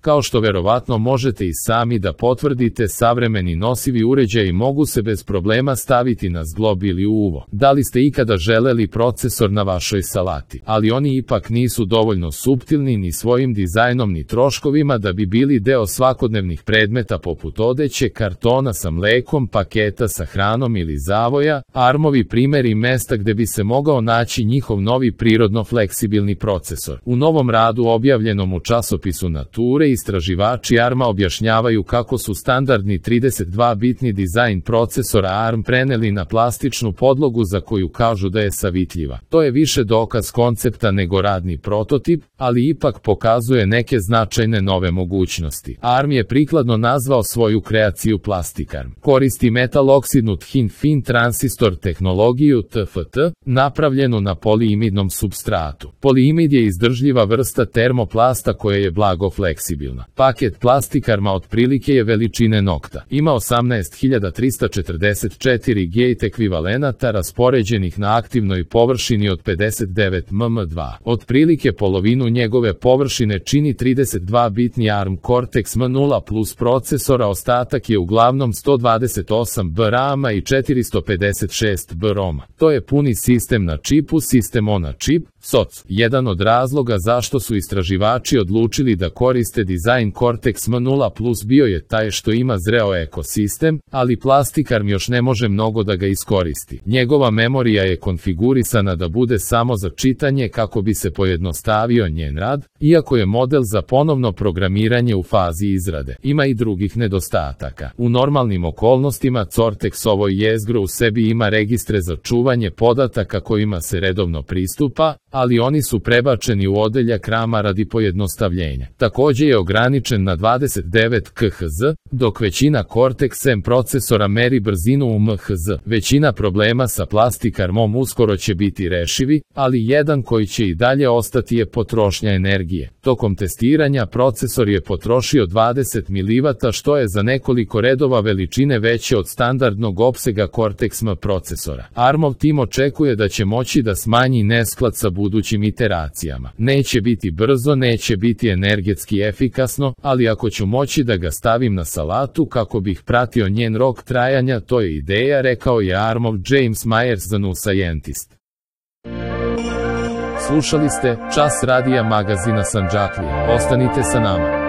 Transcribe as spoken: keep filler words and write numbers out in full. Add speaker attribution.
Speaker 1: Kao što verovatno možete i sami da potvrdite, savremeni nosivi uređaji mogu se bez problema staviti na zglob ili uvo. Da li ste ikada želeli procesor na vašoj salati? Ali oni ipak nisu dovoljno suptilni ni svojim dizajnom ni troškovima da bi bili deo svakodnevnih predmeta poput odeće, kartona sa mlekom, paketa sa hranom ili zavoja. Armovi primeri mesta gde bi se mogao naći njihov novi prirodno fleksibilni procesor. U novom radu objavljenom u časopisu Nature, istraživači Arma objašnjavaju kako su standardni trideset dva bitni dizajn procesora Arm preneli na plastičnu podlogu za koju kažu da je savitljiva. To je više dokaz koncepta nego radni prototip, ali ipak pokazuje neke značajne nove mogućnosti. Arm je prikladno nazvao svoju kreaciju Plastikarm. Koristi metaloksidnu thin fin transistor tehnologiju T F T, napravljenu na poliimidnom supstratu. Poliimid je izdržljiva vrsta termoplasta koja je blago fleksibilna. Paket Plastikarma otprilike je veličine nokta. Ima osamnaest hiljada trista četrdeset četiri gate ekvivalenata raspoređenih na aktivnoj površini od pedeset devet milimetra dva. Otprilike polovinu njegove površine čini trideset dva bitni Arm Cortex M nula plus procesora, ostatak je uglavnom sto dvadeset osam B RAM-a i četiristo pedeset šest B ROM-a. To je puni sistem na čipu, sistem on na čip, S O C. Jedan od razloga zašto su istraživači odlučili da koriste dizajn Cortex M nula plus bio je taj što ima zreo ekosistem, ali Plastikarm još ne može mnogo da ga iskoristi. Njegova memorija je konfigurisana da bude samo za čitanje kako bi se pojednostavio njen rad, iako je model za ponovno programiranje u fazi izrade. Ima i drugih nedostataka. U normalnim okolnostima Cortex-ovo jezgro u sebi ima registre za čuvanje podataka kojima se redovno pristupa, ali oni su prebačeni u odeljak rama radi pojednostavljenja. Takođe je ograničen na dvadeset devet kilohertza, dok većina Cortex M procesora meri brzinu u M H Z. Većina problema sa Plastikarmom uskoro će biti rešivi, ali jedan koji će i dalje ostati je potrošnja energije. Tokom testiranja procesor je potrošio dvadeset milivatova, što je za nekoliko redova veličine veće od standardnog opsega Cortex M procesora. Armov tim očekuje da će moći da smanji nesklad sa budućim iteracijama. Neće biti brzo, neće biti energetski efikasno, ali ako ću moći da ga stavim na salatu kako bih pratio njen rok trajanja, to je ideja, rekao je Armov James Myers za New Scientist. Slušali ste Čas radija magazina Sandžaklija. Ostanite sa nama.